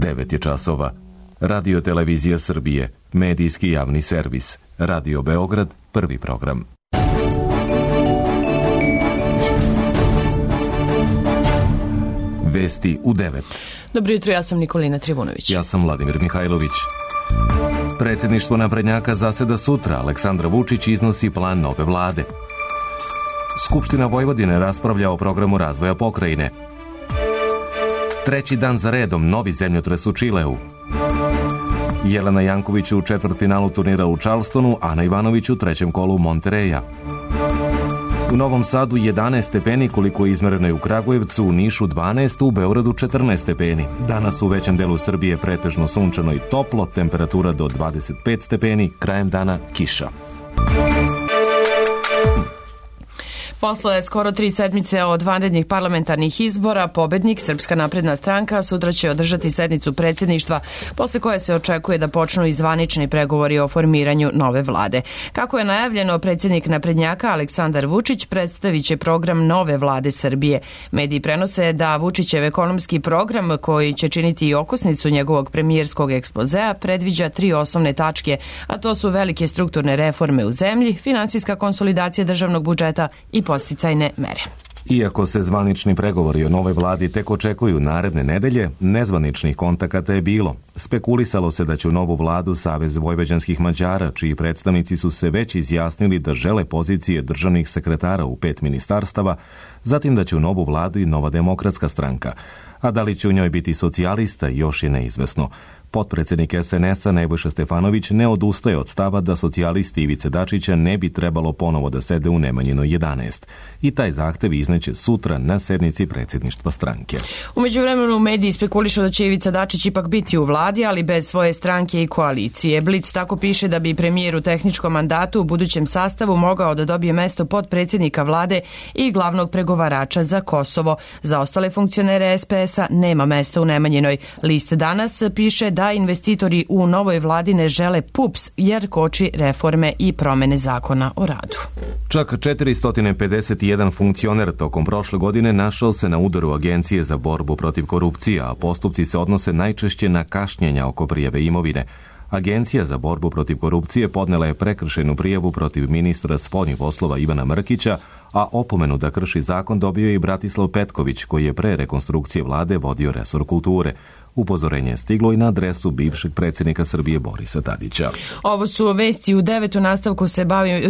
9 je časova. Radio Televizija Srbije, medijski javni servis. Radio Beograd, prvi program. Vesti u 9. Dobro jutro, ja sam Nikolina Trivunović. Ja sam Vladimir Mihajlović. Predsjedništvo naprednjaka zaseda sutra. Aleksandar Vučić iznosi plan nove vlade. Skupština Vojvodine raspravlja o programu razvoja pokrajine. Treći dan za redom novi zemljotres u Čileu. Jelena Janković u četvrtfinalu turnira u Charlestonu, Ana Ivanović u trećem kolu Montereja. U Novom Sadu 11 stepeni koliko je izmereno je u Kragujevcu, u Nišu 12, u Beogradu 14 stepeni. Danas u većem delu Srbije pretežno sunčano i toplo, temperatura do 25 stepeni, krajem dana kiša. Posle skoro 3 sedmice od vanrednih parlamentarnih izbora, pobednik Srpska napredna stranka sutra će održati sednicu predsjedništva, posle koje se očekuje da počnu i zvanični pregovori o formiranju nove vlade. Kako je najavljeno, predsjednik naprednjaka Aleksandar Vučić predstavit će program nove vlade Srbije. Mediji prenose da Vučićev ekonomski program, koji će činiti i okosnicu njegovog premijerskog ekspozea, predviđa 3 osnovne tačke, a to su velike strukturne reforme u zemlji, finansijska konsolidacija državnog budžeta i posticajne mere. Iako se zvanični pregovori o novoj vladi tek očekuju naredne nedelje, nezvaničnih kontakata je bilo. Spekulisalo se da će u novu vladu Savez vojvođanskih Mađara, čiji predstavnici su se već izjasnili da žele pozicije državnih sekretara u 5 ministarstava, zatim da će u novu vladu i Nova demokratska stranka. A da li će u njoj biti socijalista, još je neizvesno. Potpredsjednik SNS-a Nebojša Stefanović ne odustaje od stava da socijalisti Ivice Dačića ne bi trebalo ponovo da sede u Nemanjinoj 11. I taj zahtev izneće sutra na sednici predsjedništva stranke. U međuvremenu mediji spekulišu da će Ivica Dačić ipak biti u vladi, ali bez svoje stranke i koalicije. Blic tako piše da bi premijer u tehničkom mandatu u budućem sastavu mogao da dobije mesto potpredsjednika vlade i glavnog pregovarača za Kosovo. Za ostale funkcionere SPS-a nema mesta u Nemanjinoj. List danas piše da investitori u novoj vladi ne žele PUPS jer koči reforme i promene zakona o radu. Čak 451 funkcioner tokom prošle godine našao se na udaru Agencije za borbu protiv korupcije, a postupci se odnose najčešće na kašnjenja oko prijave imovine. Agencija za borbu protiv korupcije podnela je prekršajnu prijavu protiv ministra spoljnih poslova Ivana Mrkića, a opomenu da krši zakon dobio je i Bratislav Petković, koji je pre rekonstrukcije vlade vodio resor kulture. Upozorenje je stiglo i na adresu bivšeg predsjednika Srbije Borisa Tadića. Ovo su vesti u 9. nastavku se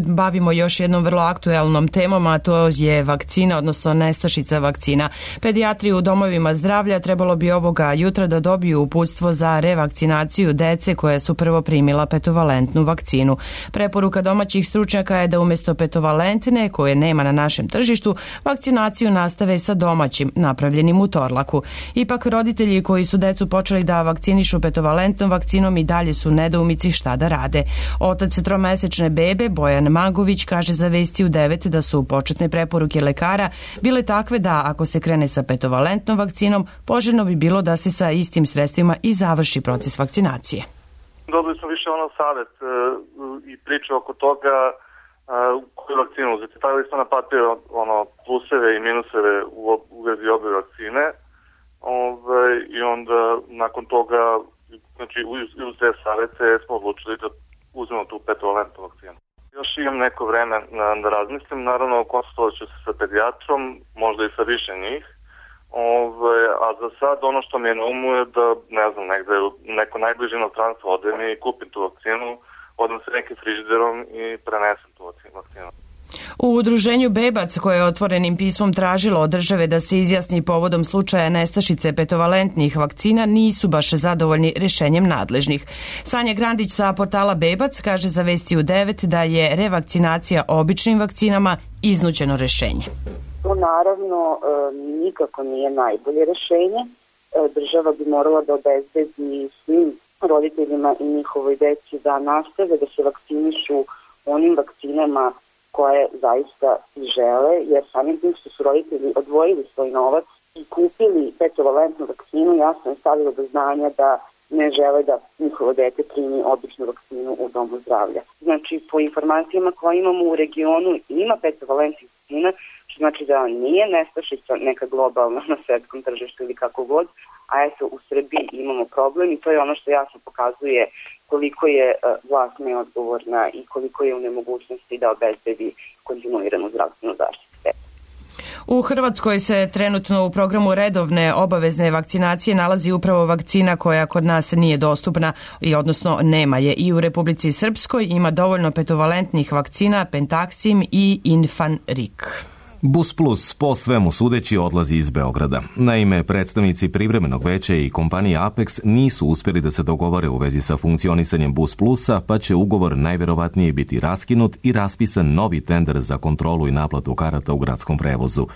bavimo još jednom vrlo aktuelnom temom, a to je vakcina, odnosno nestašica vakcina. Pedijatri u domovima zdravlja trebalo bi ovoga jutra da dobiju uputstvo za revakcinaciju dece koje su prvo primila petovalentnu vakcinu. Preporuka domaćih stručnjaka je da umjesto petovalentne, koje nema na našem tržištu, vakcinaciju nastave sa domaćim, napravljenim u Torlaku. Ipak roditelji koji su decu počeli da vakcinišu petovalentnom vakcinom i dalje su nedoumici šta da rade. Otac 3-mesečne bebe, Bojan Magović, kaže za Vesti u 9 da su početne preporuke lekara bile takve da ako se krene sa petovalentnom vakcinom, poželjno bi bilo da se sa istim sredstvima i završi proces vakcinacije. Dobili smo više savjet i priče oko toga koju vakcinu uzeti. Stavili smo na papir pluseve i minuseve u vezi obe vakcine. I onda nakon toga, znači uz te savjete smo odlučili da uzmemo tu petovalentnu vakcinu. Još imam neko vreme da razmislim, naravno konsultovat ću se sa pedijatrom, možda i sa više njih, a za sad ono što mi je na umu je da, ne znam, negde neko najbliže inostranstvo odem i kupim tu vakcinu, odem se nekim frižiderom i prenesem tu vakcinu. U udruženju Bebac, koje je otvorenim pismom tražilo od države da se izjasni povodom slučaja nestašice petovalentnih vakcina, nisu baš zadovoljni rješenjem nadležnih. Sanja Grandić sa portala Bebac kaže za Vesti u 9 da je revakcinacija običnim vakcinama iznuđeno rješenje. To naravno nikako nije najbolje rješenje. Država bi morala da obezbedi svim roditeljima i njihovoj deci da nastave da se vakcinišu onim vakcinama koje zaista žele, jer samim tim što su roditelji odvojili svoj novac i kupili petovalentnu vakcinu, jasno je stavilo do znanja da ne žele da njihovo dete primi običnu vakcinu u domu zdravlja. Znači, po informacijama koje imamo u regionu ima petovalentnih vakcina, što znači da nije nestašica neka globalna na svetskom tržištu ili kako god, a eto u Srbiji imamo problem i to je ono što jasno pokazuje koliko je vlast neodgovorna i koliko je u nemogućnosti da obezbedi kontinuiranu zdravstvenu zaštitu. U Hrvatskoj se trenutno u programu redovne obavezne vakcinacije nalazi upravo vakcina koja kod nas nije dostupna i odnosno nema je. I u Republici Srpskoj ima dovoljno petovalentnih vakcina Pentaxim i Infanrik. Bus Plus po svemu sudeći odlazi iz Beograda. Naime, predstavnici privremenog veća i kompanije Apex nisu uspjeli da se dogovore u vezi sa funkcionisanjem Bus Plusa, pa će ugovor najverovatnije biti raskinut i raspisan novi tender za kontrolu i naplatu karata u gradskom prevozu.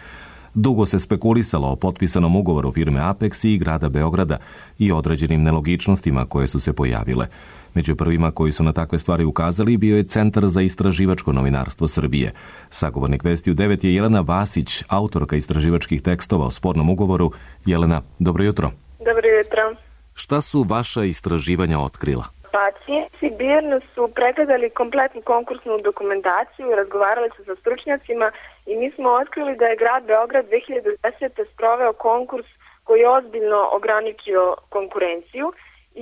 Dugo se spekulisalo o potpisanom ugovoru firme Apex i grada Beograda i određenim nelogičnostima koje su se pojavile. Među prvima koji su na takve stvari ukazali bio je Centar za istraživačko novinarstvo Srbije. Sagovornik Vesti u 9 je Jelena Vasić, autorka istraživačkih tekstova o spornom ugovoru. Jelena, dobro jutro. Dobro jutro. Šta su vaša istraživanja otkrila? Pacijenti birno su pregledali kompletnu konkursnu dokumentaciju, razgovarali su sa stručnjacima i mi smo otkrili da je grad Beograd 2010. sproveo konkurs koji je ozbiljno ograničio konkurenciju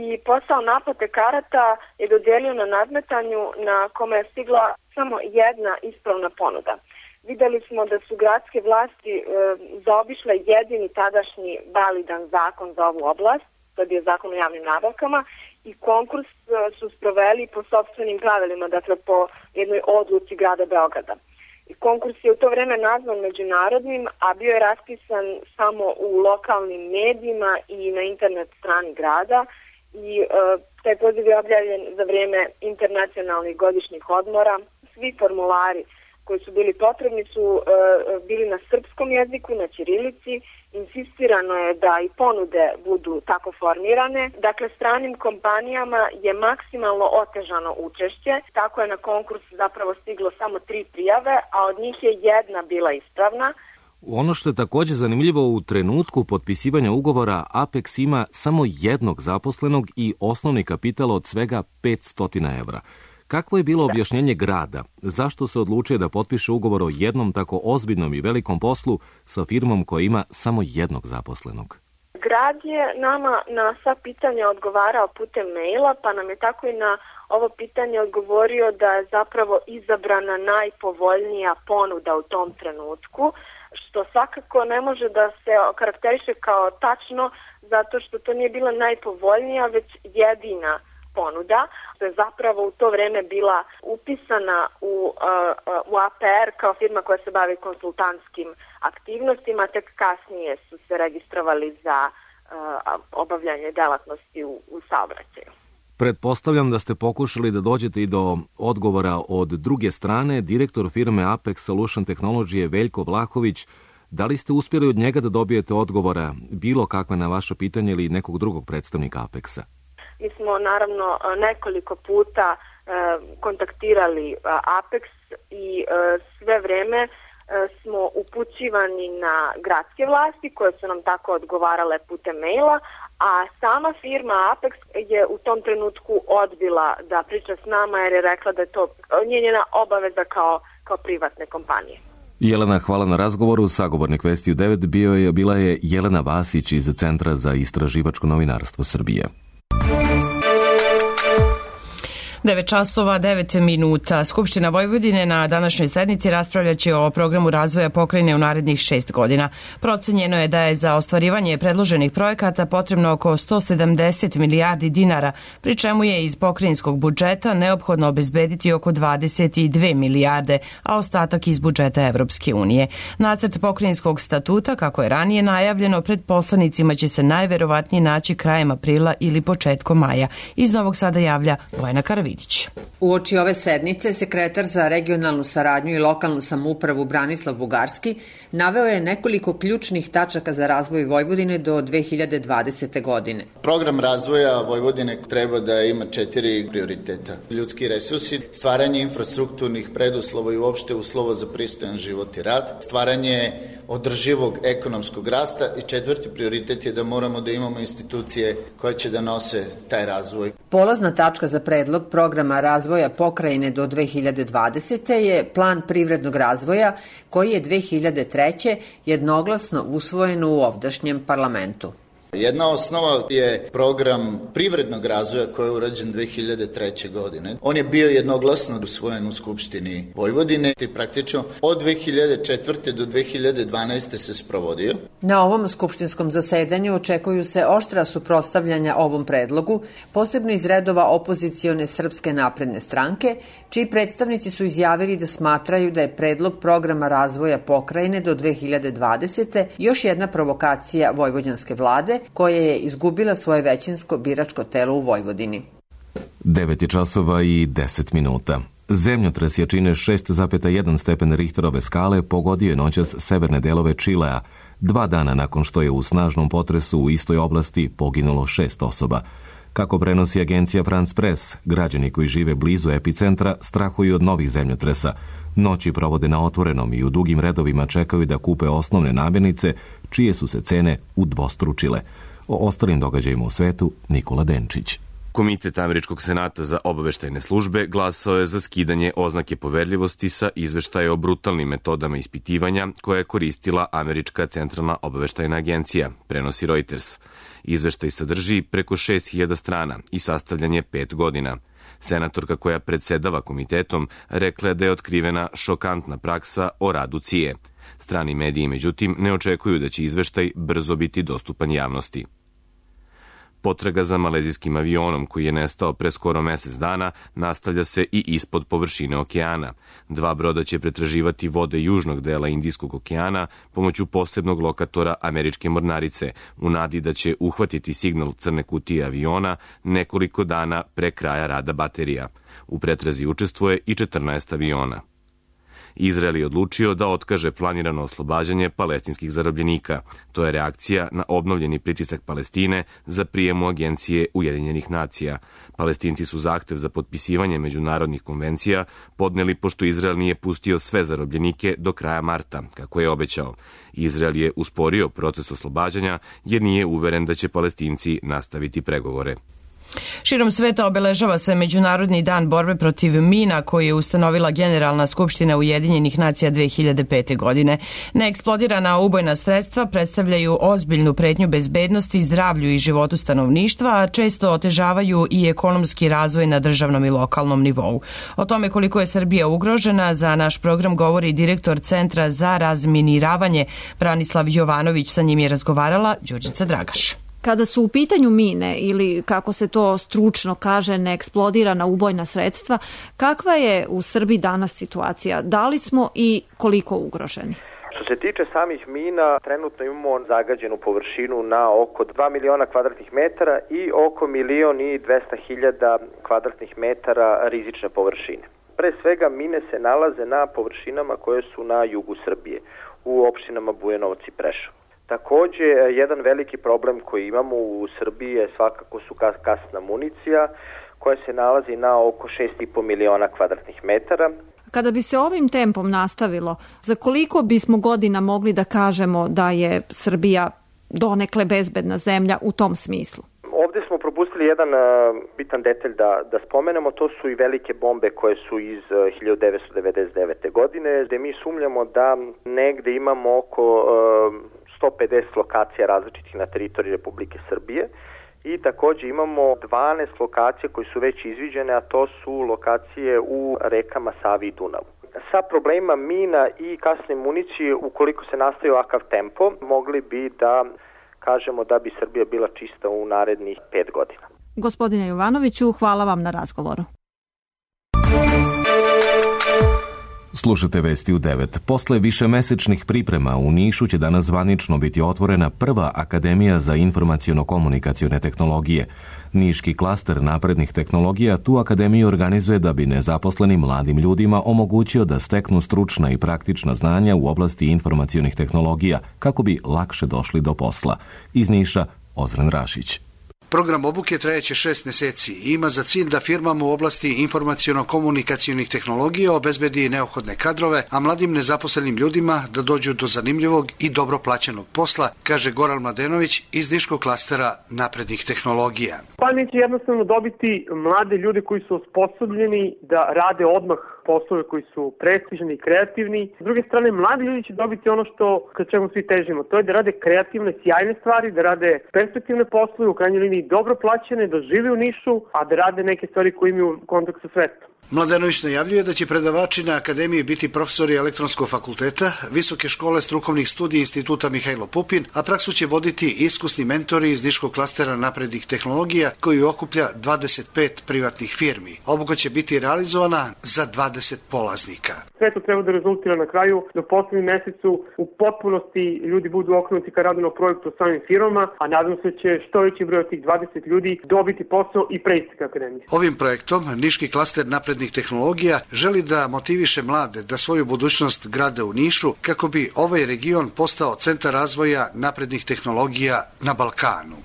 i posao naplate karata je dodelio na nadmetanju na kome je stigla samo jedna ispravna ponuda. Videli smo da su gradske vlasti zaobišle jedini tadašnji validan zakon za ovu oblast, to je bio zakon o javnim nabavkama, i konkurs su sproveli po sopstvenim pravilima, dakle po jednoj odluci grada Beograda. I konkurs je u to vreme nazvan međunarodnim, a bio je raspisan samo u lokalnim medijima i na internet strani grada i taj poziv je objavljen za vrijeme internacionalnih godišnjih odmora. Svi formulari koji su bili potrebni su bili na srpskom jeziku, na ćirilici. Insistirano je da i ponude budu tako formirane. Dakle, stranim kompanijama je maksimalno otežano učešće. Tako je na konkurs zapravo stiglo samo 3 prijave, a od njih je jedna bila ispravna. Ono što je također zanimljivo, u trenutku potpisivanja ugovora Apex ima samo jednog zaposlenog i osnovni kapital od svega 500 evra. Kakvo je bilo objašnjenje grada? Zašto se odlučuje da potpiše ugovor o jednom tako ozbiljnom i velikom poslu sa firmom koja ima samo jednog zaposlenog? Grad je nama na sva pitanja odgovarao putem maila, pa nam je tako i na ovo pitanje odgovorio da je zapravo izabrana najpovoljnija ponuda u tom trenutku, što svakako ne može da se okarakteriše kao tačno, zato što to nije bila najpovoljnija, već jedina ponuda, što je zapravo u to vreme bila upisana u APR kao firma koja se bavi konsultantskim aktivnostima, tek kasnije su se registrovali za obavljanje delatnosti u saobraćaju. Pretpostavljam da ste pokušali da dođete i do odgovora od druge strane. Direktor firme Apex Solution Technology Veljko Vlahović. Da li ste uspjeli od njega da dobijete odgovora bilo kakve na vaše pitanje ili nekog drugog predstavnika Apexa? Mi smo naravno nekoliko puta kontaktirali Apex i sve vreme smo upućivani na gradske vlasti koje su nam tako odgovarale putem maila, a sama firma Apex je u tom trenutku odbila da priča s nama jer je rekla da je to njena obaveza kao privatne kompanije. Jelena, hvala na razgovoru. Sagovornik Vesti u 9 bila je Jelena Vasić iz Centra za istraživačko novinarstvo Srbije. 9 časova, 9 minuta. Skupština Vojvodine na današnjoj sednici raspravljaće o programu razvoja pokrajine u narednih 6 godina. Procenjeno je da je za ostvarivanje predloženih projekata potrebno oko 170 milijardi dinara, pri čemu je iz pokrajinskog budžeta neophodno obezbediti oko 22 milijarde, a ostatak iz budžeta Evropske unije. Nacrt pokrajinskog statuta, kako je ranije najavljeno, pred poslanicima će se najverovatnije naći krajem aprila ili početkom maja. Iz Novog Sada javlja Bojana Karavić. Uoči ove sednice, sekretar za regionalnu saradnju i lokalnu samoupravu Branislav Bugarski naveo je nekoliko ključnih tačaka za razvoj Vojvodine do 2020. godine. Program razvoja Vojvodine treba da ima 4 prioriteta. Ljudski resursi, stvaranje infrastrukturnih preduslova i uopšte uslova za pristojan život i rad, stvaranje održivog ekonomskog rasta i 4. prioritet je da moramo da imamo institucije koje će da nose taj razvoj. Polazna tačka za predlog programa razvoja pokrajine do 2020. je plan privrednog razvoja koji je 2003. jednoglasno usvojen u ovdašnjem parlamentu. Jedna osnova je program privrednog razvoja koji je urađen 2003. godine. On je bio jednoglasno usvojen u Skupštini Vojvodine i praktično od 2004. do 2012. se sprovodio. Na ovom skupštinskom zasedanju očekuju se oštra suprotstavljanja ovom predlogu, posebno iz redova opozicione Srpske napredne stranke, čiji predstavnici su izjavili da smatraju da je predlog programa razvoja pokrajine do 2020. još jedna provokacija vojvođanske vlade, koja je izgubila svoje većinsko biračko telo u Vojvodini. 9 časova i 10 minuta. Zemljotres jačine 6,1 stepen Richterove skale pogodio je noćas severne delove Čilea, 2 dana nakon što je u snažnom potresu u istoj oblasti poginulo 6 osoba. Kako prenosi agencija France Press, građani koji žive blizu epicentra strahuju od novih zemljotresa. Noći provode na otvorenom i u dugim redovima čekaju da kupe osnovne namirnice, čije su se cene udvostručile. O ostalim događajima u svetu Nikola Denčić. Komitet Američkog senata za obaveštajne službe glasao je za skidanje oznake poverljivosti sa izveštaja o brutalnim metodama ispitivanja koje je koristila Američka centralna obaveštajna agencija, prenosi Reuters. Izveštaj sadrži preko 6000 strana i sastavljan je 5 godina. Senatorka koja predsedava komitetom rekla je da je otkrivena šokantna praksa o radu CIA. Strani mediji, međutim, ne očekuju da će izveštaj brzo biti dostupan javnosti. Potraga za malezijskim avionom koji je nestao pre skoro mesec dana nastavlja se i ispod površine okeana. 2 broda će pretraživati vode južnog dela Indijskog okeana pomoću posebnog lokatora američke mornarice u nadi da će uhvatiti signal crne kutije aviona nekoliko dana pre kraja rada baterija. U pretrazi učestvuje i 14 aviona. Izrael je odlučio da otkaže planirano oslobađanje palestinskih zarobljenika. To je reakcija na obnovljeni pritisak Palestine za prijem u agencije Ujedinjenih nacija. Palestinci su zahtev za potpisivanje međunarodnih konvencija podneli pošto Izrael nije pustio sve zarobljenike do kraja marta, kako je obećao. Izrael je usporio proces oslobađanja jer nije uveren da će Palestinci nastaviti pregovore. Širom sveta obeležava se Međunarodni dan borbe protiv mina koji je ustanovila Generalna skupština Ujedinjenih nacija 2005. godine. Neeksplodirana ubojna sredstva predstavljaju ozbiljnu pretnju bezbednosti, zdravlju i životu stanovništva, a često otežavaju i ekonomski razvoj na državnom i lokalnom nivou. O tome koliko je Srbija ugrožena za naš program govori direktor Centra za razminiravanje Branislav Jovanović. Sa njim je razgovarala Đurđica Dragaš. Kada su u pitanju mine ili, kako se to stručno kaže, neeksplodirana ubojna sredstva, kakva je u Srbiji danas situacija? Da li smo i koliko ugroženi? Što se tiče samih mina, trenutno imamo zagađenu površinu na oko 2 miliona kvadratnih metara i oko 1.200.000 kvadratnih metara rizične površine. Pre svega mine se nalaze na površinama koje su na jugu Srbije, u opštinama Bujanovac i Preševo. Takođe, jedan veliki problem koji imamo u Srbiji je svakako su kasna municija koja se nalazi na oko 6,5 miliona kvadratnih metara. Kada bi se ovim tempom nastavilo, za koliko bismo godina mogli da kažemo da je Srbija donekle bezbedna zemlja u tom smislu? Ovde smo propustili jedan bitan detalj da spomenemo, to su i velike bombe koje su iz 1999. godine, gde mi sumnjamo da negde imamo oko 150 lokacija različitih na teritoriji Republike Srbije i takođe imamo 12 lokacija koje su već izviđene, a to su lokacije u rekama Savi i Dunavu. Sa problemima mina i kasne municije, ukoliko se nastavi ovakav tempo, mogli bi da kažemo da bi Srbija bila čista u narednih 5 godina. Gospodine Jovanoviću, hvala vam na razgovoru. Slušate Vesti u 9. Posle višemesečnih priprema u Nišu će danas zvanično biti otvorena prva Akademija za informaciono-komunikacione tehnologije. Niški klaster naprednih tehnologija tu akademiju organizuje da bi nezaposlenim mladim ljudima omogućio da steknu stručna i praktična znanja u oblasti informacionih tehnologija kako bi lakše došli do posla. Iz Niša, Ozren Rašić. Program obuke trajeće 6 meseci i ima za cilj da firmama u oblasti informaciono-komunikacionih tehnologija obezbedi neophodne kadrove, a mladim nezaposlenim ljudima da dođu do zanimljivog i dobro plaćenog posla, kaže Goran Mladenović iz Niškog klastera naprednih tehnologija. Pa će jednostavno dobiti mlade ljude koji su osposobljeni da rade odmah poslove koji su prestižni i kreativni. S druge strane, mladi ljudi će dobiti ono što ka čemu svi težimo. To je da rade kreativne, sjajne stvari, da rade perspektivne poslove, u krajnjoj liniji dobro plaćene, da žive u Nišu, a da rade neke stvari koje imaju kontakt sa svetom. Mladenović najavljuje da će predavači na akademiji biti profesori elektronskog fakulteta, Visoke škole strukovnih studija Instituta Mihajlo Pupin, a praksu će voditi iskusni mentori iz Niškog klastera naprednih tehnologija koji okuplja 25 privatnih firmi. Obuka će biti realizovana za 20 polaznika. Sve to treba da rezultira na kraju da u poslednjem mesecu u potpunosti ljudi budu okrenuti ka radu na projektu samim firmama, a nadam se će što veći broj od tih 20 ljudi dobiti posao i preći ka akademiji. Ovim projektom Niški klaster naprednih tehnologija želi da motiviše mlade da svoju budućnost grade u Nišu kako bi ovaj region postao centar razvoja naprednih tehnologija na Balkanu.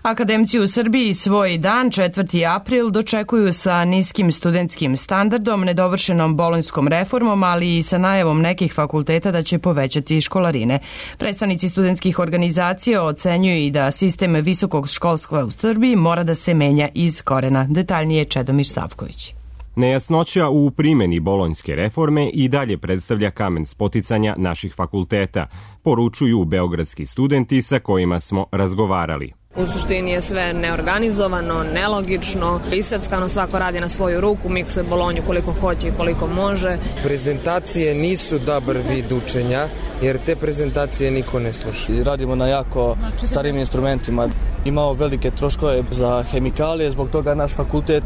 Akademci u Srbiji svoj dan, 4. april, dočekuju sa niskim studentskim standardom, nedovršenom bolonjskom reformom, ali i sa najavom nekih fakulteta da će povećati školarine. Predstavnici studentskih organizacija ocenjuju i da sistem visokog školstva u Srbiji mora da se menja iz korena. Detaljnije Čedomir Savković. Nejasnoća u primjeni bolonjske reforme i dalje predstavlja kamen spoticanja naših fakulteta, poručuju beogradski studenti sa kojima smo razgovarali. U suštini je sve neorganizovano, nelogično, iseckano, svako radi na svoju ruku, miksuje bolonju koliko hoće i koliko može. Prezentacije nisu dobar vid učenja, jer te prezentacije niko ne sluša. Radimo na jako starim instrumentima, imamo velike troškove za hemikalije, zbog toga naš fakultet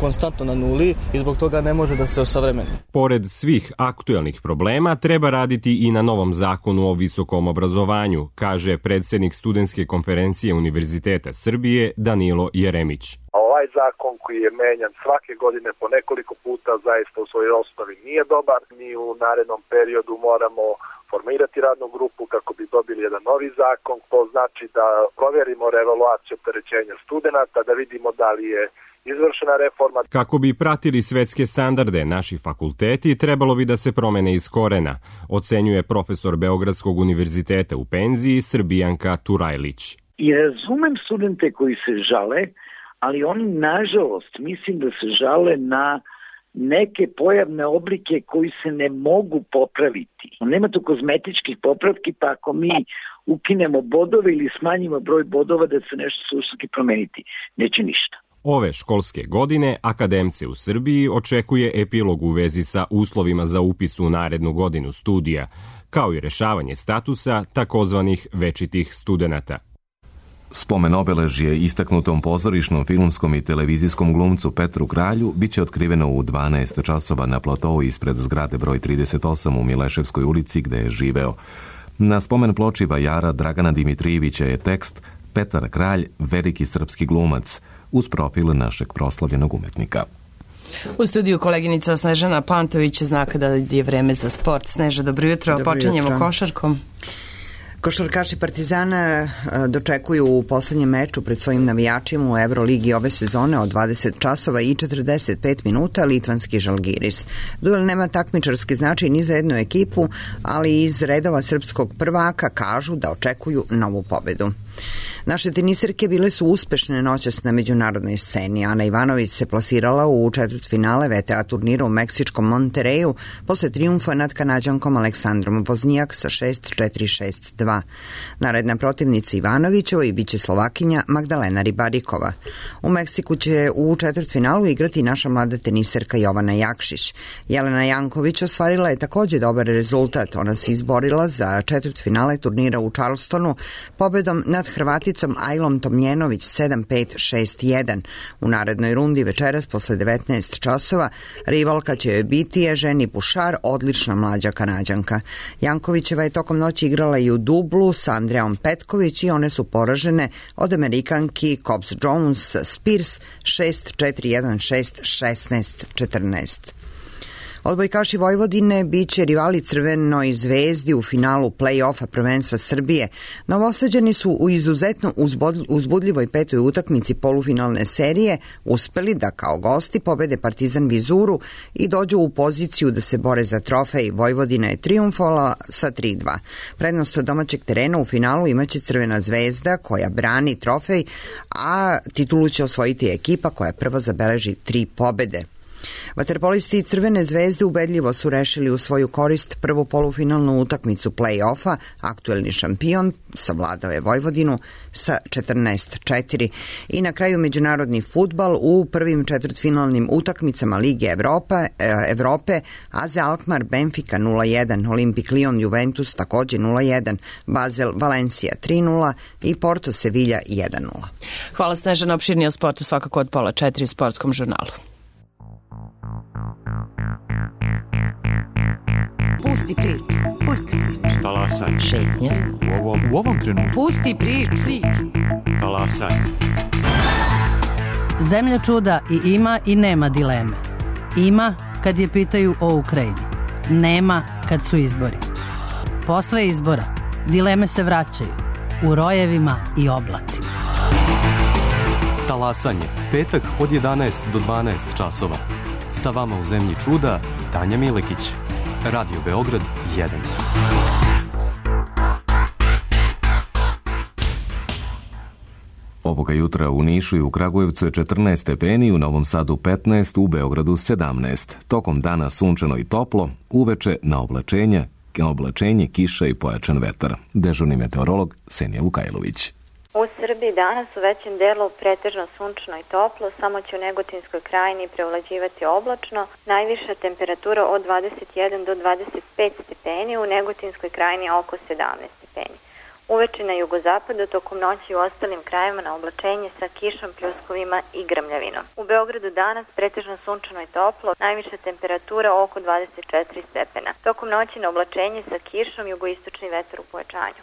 konstantno na nuli i zbog toga ne može da se osavremeni. Pored svih aktuelnih problema, treba raditi i na novom zakonu o visokom obrazovanju, kaže predsjednik studentske konferencije Univerziteta Srbije Danilo Jeremić. Ovaj zakon koji je menjan svake godine po nekoliko puta zaista u svojoj osnovi nije dobar. Mi u narednom periodu moramo formirati radnu grupu kako bi dobili jedan novi zakon. To znači da provjerimo revaluaciju opterećenja studenata, da vidimo da li je izvršena reforma. Kako bi pratili svetske standarde, naši fakulteti trebalo bi da se promene iz korena, ocenjuje profesor Beogradskog univerziteta u penziji Srbijanka Turajlić. I razumem studente koji se žale, ali oni nažalost mislim da se žale na neke pojavne oblike koji se ne mogu popraviti. Nema tu kozmetičkih popravki, pa ako mi ukinemo bodove ili smanjimo broj bodova da se nešto suštinski promeniti, neće ništa. Ove školske godine akademce u Srbiji očekuje epilog u vezi sa uslovima za upis u narednu godinu studija, kao i rešavanje statusa takozvanih večitih studenata. Spomen obeležje istaknutom pozorišnom, filmskom i televizijskom glumcu Petru Kralju biće otkriveno u 12 časova na platou ispred zgrade broj 38 u Mileševskoj ulici gde je živeo. Na spomen ploči vajara Dragana Dimitrijevića je tekst Petar Kralj, veliki srpski glumac, uz profil našeg proslavljenog umetnika. U studiju koleginica Snežana Pantović zna kada je vreme za sport. Sneža, dobro jutro. Počinjemo košarkom. Košarkaši Partizana dočekuju u poslednjem meču pred svojim navijačima u Euroligi ove sezone od 20 časova i 45 minuta litvanski Žalgiris. Duel nema takmičarski značaj ni za jednu ekipu, ali iz redova srpskog prvaka kažu da očekuju novu pobedu. Naše teniserke bile su uspešne noćas na međunarodnoj sceni. Ana Ivanović se plasirala u četvrtfinale VTA turnira u meksičkom Montereju posle trijumfa nad Kanađankom Aleksandrom Voznijak sa 6-4-6-2. Naredna protivnica Ivanovićeva biće Slovakinja Magdalena Ribarikova. U Meksiku će u četvrtfinalu igrati naša mlada teniserka Jovana Jakšić. Jelena Janković ostvarila je takođe dobar rezultat. Ona se izborila za četvrtfinale turnira u Charlestonu pobedom nad Hrvaticom Ajlom Tomljenović 7-5-6-1. U narednoj rundi večeras posle 19 časova rivalka će joj biti Ježeni Pušar, odlična mlađa Kanađanka. Jankovićeva je tokom noći igrala i u dublu sa Andreom Petković i one su poražene od Amerikanki Cobbs Jones Spears 6-4-1-6-16-14. Odbojkaši Vojvodine biće rivali Crvenoj zvezdi u finalu play-offa prvenstva Srbije. Novosađani su u izuzetno uzbudljivoj petoj utakmici polufinalne serije uspeli da kao gosti pobede Partizan Vizuru i dođu u poziciju da se bore za trofej. Vojvodina je trijumfovala sa 3-2. Prednost domaćeg terena u finalu imaće Crvena zvezda koja brani trofej, a titulu će osvojiti ekipa koja prva zabeleži 3 pobede. Vaterpolisti Crvene zvezde ubedljivo su rešili u svoju korist prvu polufinalnu utakmicu play-offa. Aktuelni šampion savladao je Vojvodinu sa 14-4. I na kraju međunarodni fudbal u prvim četvrtfinalnim utakmicama Lige Evrope. AZ Alkmaar Benfica 0-1, Olimpik Lyon Juventus takođe 0-1, Basel Valencija 3-0 i Porto Sevilla 1-0. Hvala Snežana, opširnije o sportu svakako od 3:30 u Sportskom žurnalu. Pusti priču. Pusti priču. Talasaj. Šetnja. U ovom trenutku. Pusti priču. Talasaj. Zemlja čuda i ima i nema dileme. Ima kad je pitaju o Ukrajini. Nema kad su izbori. Posle izbora dileme se vraćaju u rojevima i oblacima. Talasanje. Petak od 11 do 12 časova. Sa vama u Zemlji čuda Tanja Milekić. Radio Beograd 1. Ovoga jutra u Nišu i u Kragujevcu je 14 stepeni, u Novom Sadu 15, u Beogradu 17. Tokom dana sunčano i toplo, uveče na oblačenje, kiša i pojačan vetar. Dežurni meteorolog Senija Vukajlović. U Srbiji danas u većem delu pretežno sunčno i toplo, samo će u Negotinskoj krajini prevlađivati oblačno, najviša temperatura od 21 do 25 stepeni, u Negotinskoj krajini oko 17 stepeni. Uveče na jugozapadu, tokom noći u ostalim krajevima na oblačenje sa kišom, pljuskovima i grmljavinom. U Beogradu danas pretežno sunčano i toplo, najviša temperatura oko 24 stepena. Tokom noći na oblačenje sa kišom, jugoistočni vetar u pojačanju.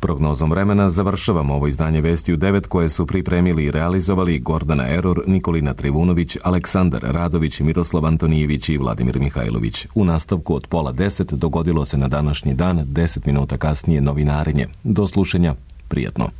Prognozom vremena završavamo ovo izdanje Vesti u 9 koje su pripremili i realizovali Gordana Eror, Nikolina Trivunović, Aleksandar Radović, Miroslav Antonijević i Vladimir Mihajlović. U nastavku od 9:30 dogodilo se na današnji dan, 10 minuta kasnije novinarenje. Do slušanja, prijatno.